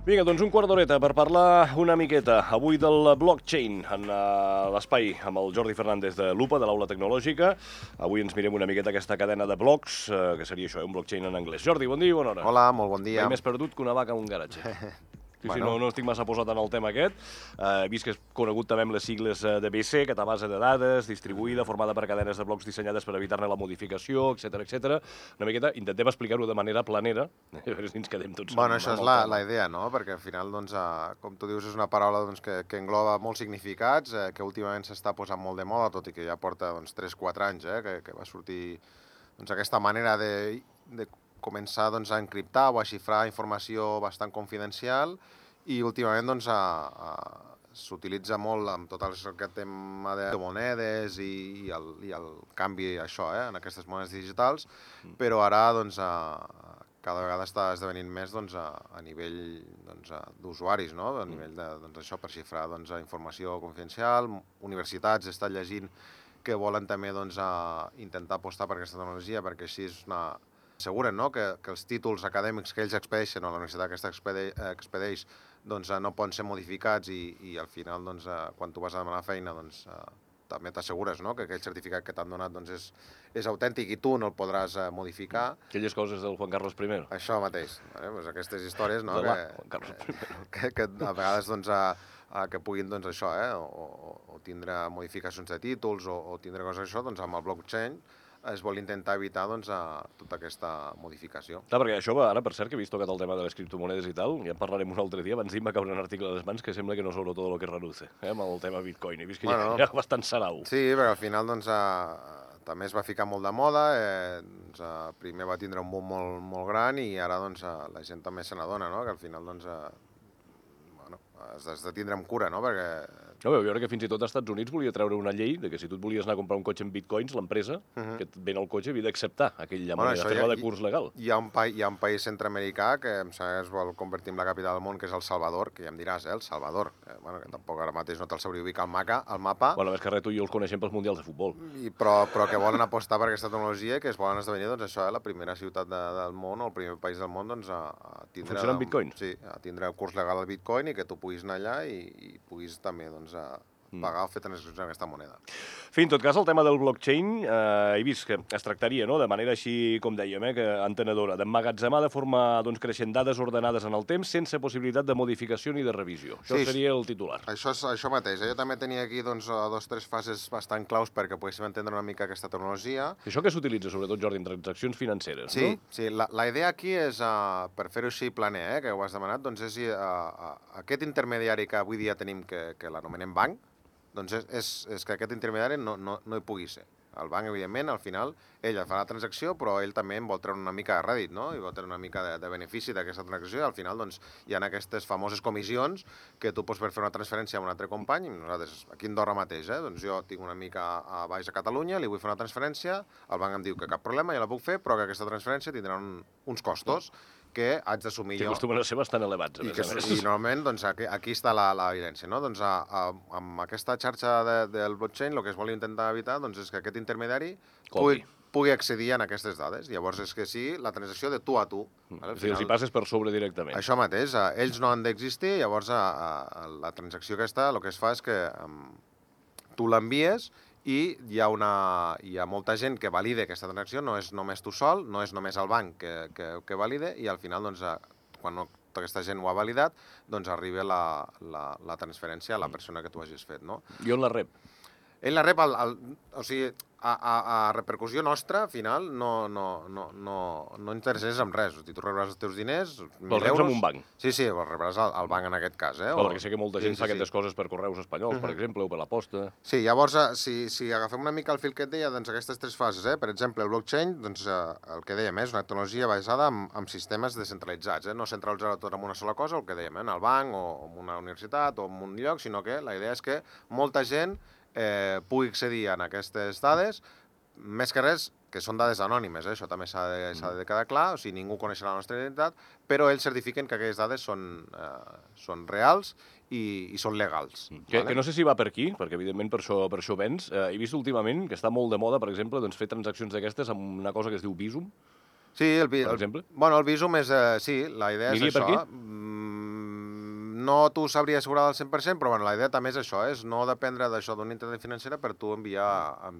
Vinga, doncs un quart d'horeta per parlar una miqueta avui del blockchain en l'espai amb el Jordi Fernández de Lupa, de l'Aula Tecnològica. Avui ens mirem una miqueta aquesta cadena de blocs, que seria això, un blockchain en anglès. Jordi, bon dia i bona hora. Hola, molt bon dia. Mai més perdut que una vaca en un garatge. Sí, no estic massa posat en el tema aquest. He vist que és conegut també amb les sigles de BC, aquesta base de dades distribuïda, formada per cadenes de blocs dissenyades per evitar-ne la modificació, etc. Una miqueta, intentem explicar-ho de manera planera, a veure si ens quedem tots... Bueno, això és la idea, no? Perquè al final, doncs, com tu dius, és una paraula que engloba molts significats, que últimament s'està posant molt de moda, tot i que ja porta 3-4 anys que va sortir aquesta manera de començar a encriptar o a xifrar informació bastant confidencial i últimament s'utilitza molt amb tot aquest tema de monedes i el canvi en aquestes monedes digitals, però ara cada vegada està esdevenint més a nivell d'usuaris, no? A nivell d'això per xifrar informació confidencial. Universitats estan llegint que volen també intentar apostar per aquesta tecnologia perquè així asseguren, no? Que els títols acadèmics que ells expedeixen o la universitat que expedeix no poden ser modificats i al final quan tu vas a demanar feina també t'assegures que aquell certificat que t'han donat és autèntic i tu no el podràs modificar. Aquelles coses del Juan Carlos I. Això mateix, aquestes històries Juan Carlos I. que a vegades que puguin o tindre modificacions de títols o tindre coses d'això, amb el blockchain es vol intentar evitar tota aquesta modificació. Clar, perquè això va, ara, per cert, que he vist tocat el tema de les criptomonedes i tal, ja en parlarem un altre dia, abans d'ahir va caure un article a les mans que sembla que no sobre tot el que reluce, amb el tema Bitcoin. He vist que hi ha bastant sarau. Sí, perquè al final també es va ficar molt de moda, primer va tindre un boom molt gran i ara la gent també se n'adona, que al final has de tindre amb cura, perquè... No, veu veure que fins i tot als Estats Units volia treure una llei de que si tu et volies anar a comprar un cotxe en bitcoins, l'empresa que et ven el cotxe havia d'acceptar aquella moneda, fer-la de curs legal. Hi ha un país centreamericà que em sembla que es vol convertir en la capital del món, que és El Salvador, que ja em diràs, El Salvador, que tampoc ara mateix no te'l sabria ubicar al mapa. Bueno, més que res tu i jo els coneixem pels mundials de futbol. Però que volen apostar per aquesta tecnologia i que es volen esdevenir, la primera ciutat del món o el primer país del món a tindre... Funciona amb bitcoins? Sí, a tindre el curs legal al bitcoin i que tu puguis anar allà i puguis també pagar o fer transaccions en aquesta moneda. En tot cas, el tema del blockchain, he vist que es tractaria, de manera així, com dèiem, que entenedora, d'emmagatzemar de forma creixent dades ordenades en el temps sense possibilitat de modificació ni de revisió. Això seria el titular. Això mateix. Jo també tenia aquí 2 o 3 fases bastant claus perquè poguéssim entendre una mica aquesta tecnologia. Això que s'utilitza, sobretot, Jordi, en transaccions financeres, no? Sí. La idea aquí és, per fer-ho així planer, que ho has demanat, és aquest intermediari que avui dia tenim, que l'anomenem banc, és que aquest intermediari no hi pugui ser. El banc, evidentment, al final, ell fa la transacció, però ell també en vol treure una mica de rèdit, no? I vol treure una mica de benefici d'aquesta transacció, i al final hi ha aquestes famoses comissions que tu pots fer una transferència a un altre company, i nosaltres, aquí a Andorra mateix, jo tinc una mica a baix a Catalunya, li vull fer una transferència, el banc em diu que cap problema, ja la puc fer, però que aquesta transferència tindrà uns costos que haig d'assumir jo. Que acostumen a ser bastant elevats, a més a més. I normalment, aquí està l'evidència, no? Amb aquesta xarxa del blockchain, el que es vol intentar evitar és que aquest intermediari pugui accedir a aquestes dades. Llavors és que sí, la transacció de tu a tu. Si els hi passes per sobre directament. Això mateix, ells no han d'existir, llavors la transacció aquesta, el que es fa és que tu l'envies i hi ha molta gent que valida aquesta transacció, no és només tu sol, no és només el banc que valida, i al final, quan tota aquesta gent ho ha validat, arriba la transferència a la persona que tu hagis fet, no? I on la rep? Ell la rep, o sigui, a repercussió nostra, al final, no interesses en res. O sigui, tu rebràs els teus diners, 1.000 euros... Els reps en un banc? Sí, els rebràs al banc en aquest cas. Perquè sé que molta gent fa aquestes coses per correus espanyols, per exemple, o per la posta. Sí, llavors, si agafem una mica el fil que et deia, aquestes 3 fases, per exemple, el blockchain, el que dèiem, és una tecnologia basada en sistemes descentralitzats, no centralitzar tot en una sola cosa, el que dèiem, en el banc, o en una universitat, o en un lloc, sinó que la idea és que molta gent pugui accedir a aquestes dades, més que res, que són dades anònimes, això també s'ha de quedar clar, o sigui, ningú coneixerà la nostra identitat, però ells certifiquen que aquelles dades són reals i són legals. Que no sé si va per aquí, perquè evidentment per això vens. He vist últimament que està molt de moda, per exemple, fer transaccions d'aquestes amb una cosa que es diu Bizum. Sí, per exemple. Bueno, el Bizum és... Sí, la idea és això. Aniria per aquí? no t'ho sabria assegurar al 100%, però bueno, la idea també és això, és no dependre d'això d'una entitat financera per tu enviar...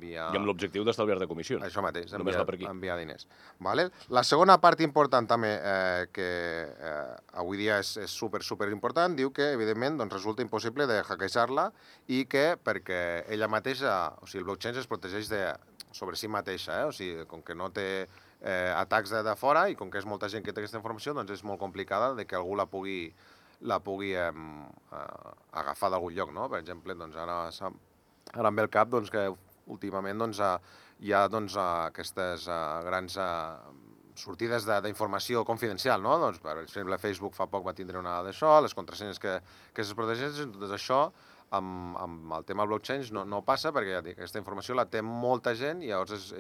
I amb l'objectiu d'estalviar-te comissions. Això mateix, Només va per aquí. enviar diners. Vale? La segona part important també, que avui dia és super important, diu que, evidentment, doncs, resulta impossible de hackejar-la i que, perquè ella mateixa, o sigui, el blockchain es protegeix sobre si mateixa, o sigui, com que no té atacs de fora i com que és molta gent que té aquesta informació, doncs és molt complicada de que algú la pugui agafar d'algun lloc, no? Per exemple, doncs ara em ve el cap doncs, que últimament doncs, hi ha doncs, aquestes grans sortides d'informació confidencial, no? Doncs, per exemple, Facebook fa poc va tindre una d'això, les contrasenyes que es protegeixen, tot això amb el tema blockchain no passa perquè ja dic, aquesta informació la té molta gent i llavors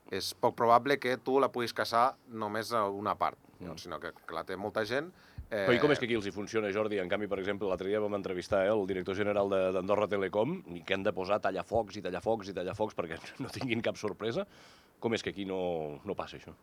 és poc probable que tu la puguis caçar només a una part, sinó que la té molta gent. Però i com és que aquí els hi funciona, Jordi? En canvi, per exemple, l'altre dia vam entrevistar el director general d'Andorra Telecom i que han de posar tallafocs perquè no tinguin cap sorpresa. Com és que aquí no passa això?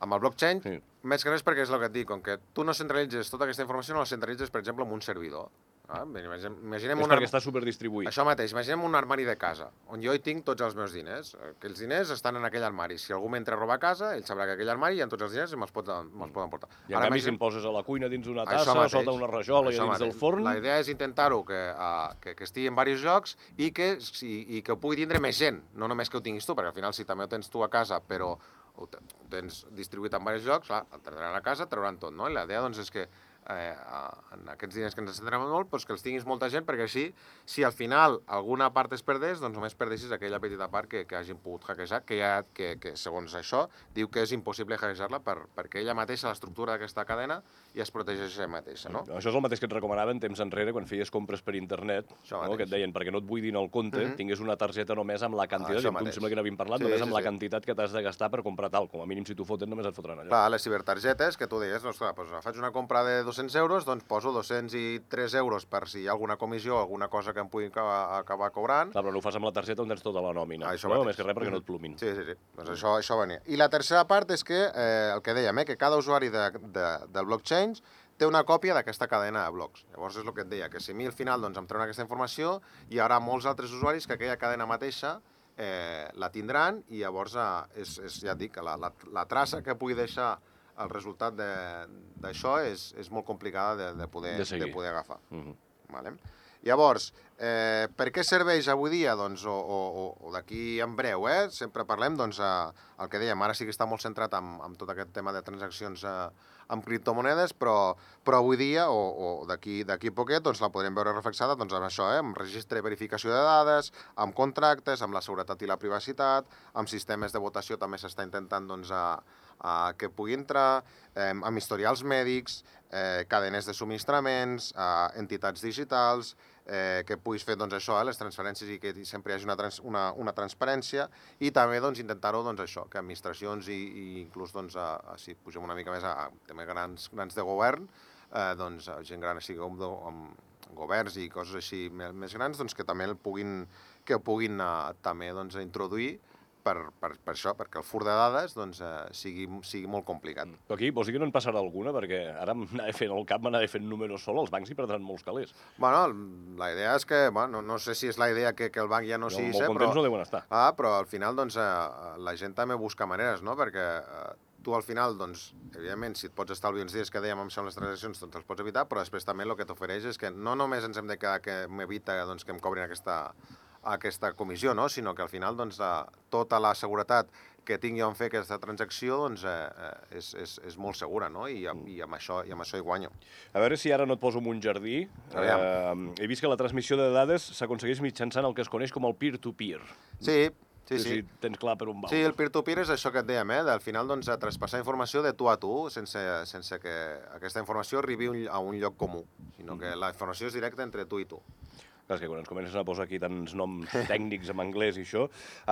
Amb el blockchain, sí. Més que res perquè és el que et dic, com que tu no centralitzes tota aquesta informació, no la centralitzes, per exemple, en un servidor. Imaginem és perquè està superdistribuït. Això mateix, imaginem un armari de casa, on jo hi tinc tots els meus diners. Aquells diners estan en aquell armari. Si algú m'entra a robar a casa, ell sabrà que aquell armari hi ha tots els diners i me'ls poden portar. I en canvi, si em poses a la cuina dins d'una tassa, sota una rajola i dins del forn... La idea és intentar-ho que estigui en diversos llocs i que ho pugui tindre més gent, no només que ho tinguis tu, perquè al final si també ho tens tu a casa, però ho tens distribuït en diversos llocs, clar, el tindran a casa, trauran tot, no? I la idea doncs, és que en aquests diners que ens centrem molt, doncs que els tinguis molta gent, perquè així, si al final alguna part es perdés, doncs només perdessis aquella petita part que hagin pogut hackejar, que segons això diu que és impossible hackejar-la perquè ella mateixa, l'estructura d'aquesta cadena, ja es protegeix ella mateixa, no? Això és el mateix que et recomanaven temps enrere quan feies compres per internet, no? Que et deien, perquè no et buidin el compte, tingués una targeta només amb la quantitat, em sembla que n'havíem parlat, només amb la quantitat que t'has de gastar per comprar tal, com a mínim si t'ho foten només et fotran allò. Clar, les cibertargetes, que tu deies, doncs faig una compra de 200 euros, doncs poso 203 euros per si hi ha alguna comissió, alguna cosa que em pugui acabar cobrant. Clar, però no ho fas amb la targeta on tens tota la nòmina. No, més que res perquè no et plumin. Sí. Doncs això venia. I la tercera part és que, el que dèiem, que cada usuari del blockchain té una còpia d'aquesta cadena de blocs. Llavors és el que et deia, que si a mi al final doncs, em treuen aquesta informació, hi haurà molts altres usuaris que aquella cadena mateixa la tindran i llavors ja et dic, la traça que pugui deixar el resultat d'això és molt complicada de poder agafar. Vale? Llavors, per què serveix avui dia? Doncs, o d'aquí en breu, sempre parlem, doncs, el que dèiem, ara sí que està molt centrat en tot aquest tema de transaccions amb criptomonedes, però avui dia, o d'aquí poquet, doncs la podrem veure reflexada doncs, amb això, amb registre de verificació de dades, amb contractes, amb la seguretat i la privacitat, amb sistemes de votació també s'està intentant doncs, que pugui entrar, amb historials mèdics, cadenes de subministraments, entitats digitals, que puguis fer doncs, això, les transferències i que sempre hi hagi una transparència i també doncs, intentar-ho doncs, això, que administracions i inclús doncs, si pugem una mica més a temes grans de govern, doncs, gent gran així com amb governs i coses així més grans doncs, que també puguin també doncs, introduir per això, perquè el fur de dades doncs, sigui molt complicat. Però aquí vols dir que no en passarà alguna? Perquè ara m'anava fent números sol, els bancs hi perdran molts calés. Bueno, la idea és que, no sé si és la idea que el banc ja no sigui... Molt contents no deuen estar. Però al final doncs, la gent també busca maneres, no? Perquè tu al final, doncs, evidentment, si et pots estalviar uns dies que dèiem amb això en les transaccions, doncs els pots evitar, però després també el que t'ofereix és que no només ens hem de quedar que m'evita doncs, que em cobrin aquesta comissió, no? Sinó que al final doncs, tota la seguretat que tingui on fer aquesta transacció doncs, és molt segura, no? I amb això hi guanyo. A veure si ara no et poso en un jardí. He vist que la transmissió de dades s'aconsegueix mitjançant el que es coneix com el peer-to-peer. Sí. Si tens clar per on va. Sí, el peer-to-peer és això que et dèiem, al final doncs, traspassar informació de tu a tu sense que aquesta informació arribi a un lloc comú, sinó que la informació és directa entre tu i tu. Clar, és que quan ens comencen a posar aquí tants noms tècnics en anglès i això...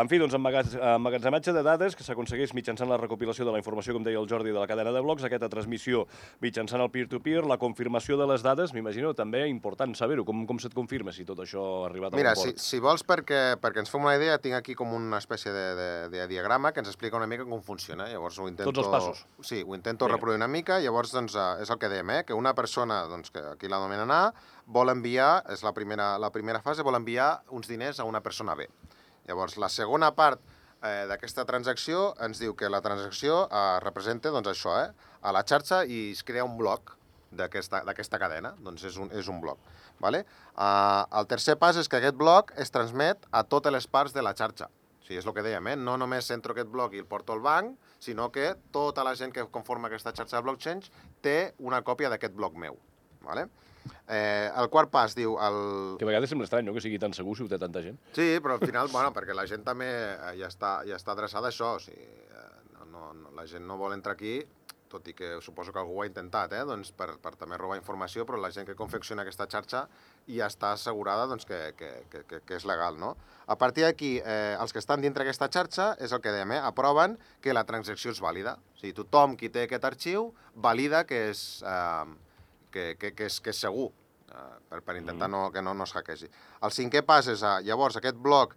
En fi, doncs, emmagatzematge de dades que s'aconsegueix mitjançant la recopilació de la informació, com deia el Jordi, de la cadena de blocs, aquesta transmissió mitjançant el peer-to-peer, la confirmació de les dades, m'imagino també important saber-ho. Com se't confirma si tot això ha arribat a bon port? Mira, si vols, perquè ens fem una idea, tinc aquí com una espècie de diagrama que ens explica una mica com funciona. Llavors ho intento... Tots els passos. Sí, ho intento reproduir una mica. Llavors, doncs, és el que dèiem, que una persona, doncs, que aquí l'anomenen A, vol enviar, és la primera fase, vol enviar uns diners a una persona B. Llavors, la segona part d'aquesta transacció ens diu que la transacció representa, doncs, això, a la xarxa i es crea un bloc d'aquesta cadena, doncs és un bloc. Vale? El tercer pas és que aquest bloc es transmet a totes les parts de la xarxa. O sigui, és el que dèiem, no només entro aquest bloc i el porto al banc, sinó que tota la gent que conforma aquesta xarxa de blockchain té una còpia d'aquest bloc meu. Vale? El quart pas diu... Que a vegades sembla estrany, no?, que sigui tan segur si ho té tanta gent. Sí, però al final, bueno, perquè la gent també ja està adreçada a això. O sigui, la gent no vol entrar aquí, tot i que suposo que algú ho ha intentat, doncs per també robar informació, però la gent que confecciona aquesta xarxa ja està assegurada doncs, que és legal, no? A partir d'aquí, els que estan dintre aquesta xarxa, és el que dèiem, aproven que la transacció és vàlida. O sigui, tothom qui té aquest arxiu valida que és segur, per intentar que no es hackegi. El cinquè pas és, llavors, aquest bloc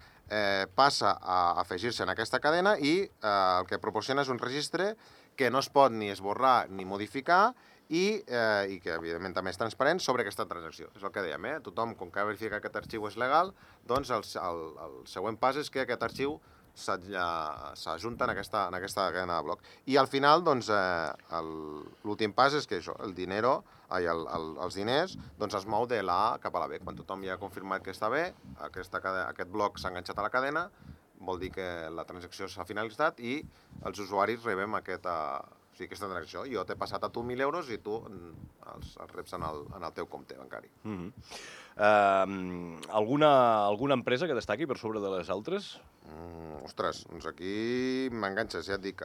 passa a afegir-se en aquesta cadena i el que proporciona és un registre que no es pot ni esborrar ni modificar i que, evidentment, també és transparent sobre aquesta transacció. És el que dèiem, tothom, com que ha verificat que aquest arxiu és legal, doncs el següent pas és que aquest arxiu s'ajunta en aquesta cadena de bloc. I al final, doncs, l'últim pas és que això, els diners doncs es mou de la A cap a la B. Quan tothom ja ha confirmat que està bé, aquest bloc s'ha enganxat a la cadena, vol dir que la transacció s'ha finalitzat i els usuaris rebem aquesta transacció. Jo t'he passat a tu 1.000 euros i tu els reps en el teu compte bancari. Alguna empresa que destaqui per sobre de les altres? Ostres, doncs aquí m'enganxes, ja et dic.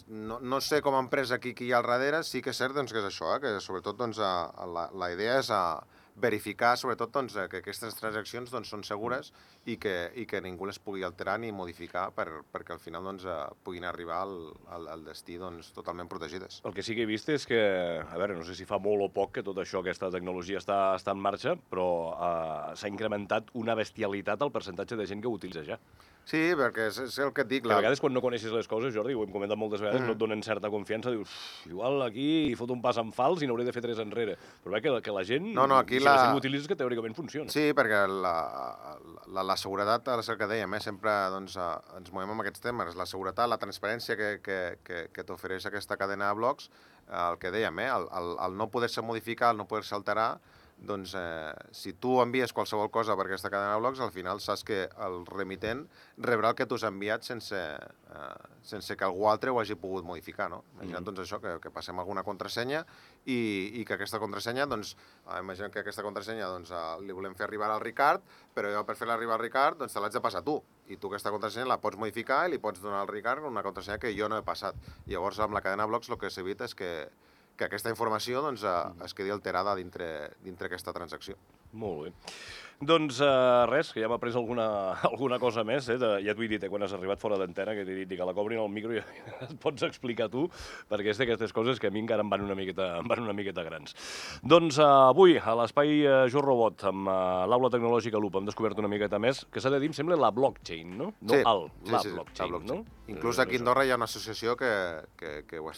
No sé com a empresa qui hi ha al darrere, sí que és cert que és això, que sobretot la idea és verificar, sobretot, que aquestes transaccions són segures i que ningú les pugui alterar ni modificar perquè al final puguin arribar al destí totalment protegides. El que sí que he vist és que, a veure, no sé si fa molt o poc que tot això, aquesta tecnologia està en marxa, però s'ha incrementat una bestialitat el percentatge de gent que ho utilitza ja. Sí, perquè és el que et dic. A vegades quan no coneixes les coses, Jordi, ho hem comentat moltes vegades, no et donen certa confiança, dius, igual aquí fot un pas en fals i n'hauré de fer 3 enrere. Però bé, que la gent, si la gent ho utilitza, és que teòricament funciona. Sí, perquè la seguretat, és el que dèiem, sempre ens movem amb aquests temes. La seguretat, la transparència que t'ofereix aquesta cadena de blocs, el que dèiem, el no poder-se modificar, el no poder-se alterar, doncs si tu envies qualsevol cosa per aquesta cadena de blocs, al final saps que el remitent rebrà el que tu has enviat sense que algú altre ho hagi pogut modificar, no? Imagina't doncs això, que passem alguna contrasenya i que aquesta contrasenya, doncs, imagina't que aquesta contrasenya li volem fer arribar al Ricard, però jo per fer-la arribar al Ricard doncs te l'haig de passar tu. I tu aquesta contrasenya la pots modificar i li pots donar al Ricard una contrasenya que jo no he passat. Llavors, amb la cadena de blocs el que s'evita és que aquesta informació es quedi alterada dintre aquesta transacció. Molt bé. Doncs res, que ja m'ha pres alguna cosa més, ja t'ho he dit, quan has arribat fora d'antena, que t'he dit que la cobrin al micro i et pots explicar tu, perquè és d'aquestes coses que a mi encara em van una miqueta grans. Doncs avui, a l'espai Jo Robot, amb l'Aula Tecnològica Loop, hem descobert una miqueta més, que s'ha de dir, em sembla, la blockchain, no? Sí, la blockchain, no? Inclús aquí a Andorra hi ha una associació que ho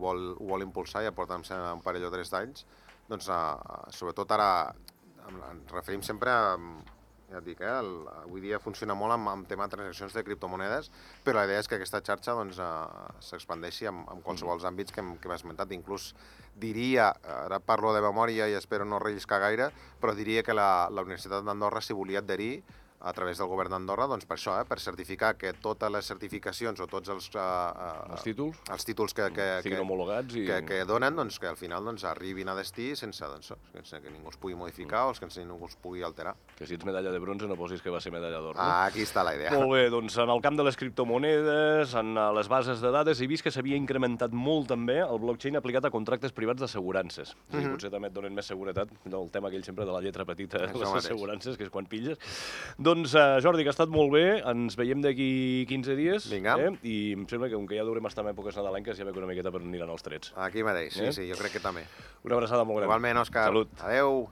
vol impulsar, ja porta un parell o 3 d'anys, doncs sobretot ara ens referim sempre a, ja et dic, avui dia funciona molt amb tema de transaccions de criptomonedes, però la idea és que aquesta xarxa s'expandeixi en qualsevol àmbits que hem esmentat. Inclús diria, ara parlo de memòria i espero no relliscar gaire, però diria que la Universitat d'Andorra s'hi volia adherir a través del govern d'Andorra, doncs per això, per certificar que totes les certificacions o tots els títols siguin homologats i... que donen, doncs, que al final doncs, arribin a destí sense que ningú els pugui modificar o sense que ningú els pugui alterar. Que si ets medalla de bronze no posis que va ser medalla d'or. Aquí està la idea. Molt bé, doncs en el camp de les criptomonedes, en les bases de dades, he vist que s'havia incrementat molt també el blockchain aplicat a contractes privats d'assegurances. Potser també et donen més seguretat, el tema aquell sempre de la lletra petita de les assegurances, que és quan pilles. Doncs, Jordi, que ha estat molt bé, ens veiem d'aquí 15 dies. Vinga. I em sembla que, com que ja durem estar en èpoques nadalenques, ja veig una miqueta per on aniran els trets. Aquí mateix, sí, jo crec que també. Una abraçada molt gran. Igualment, Òscar. Salut. Adeu.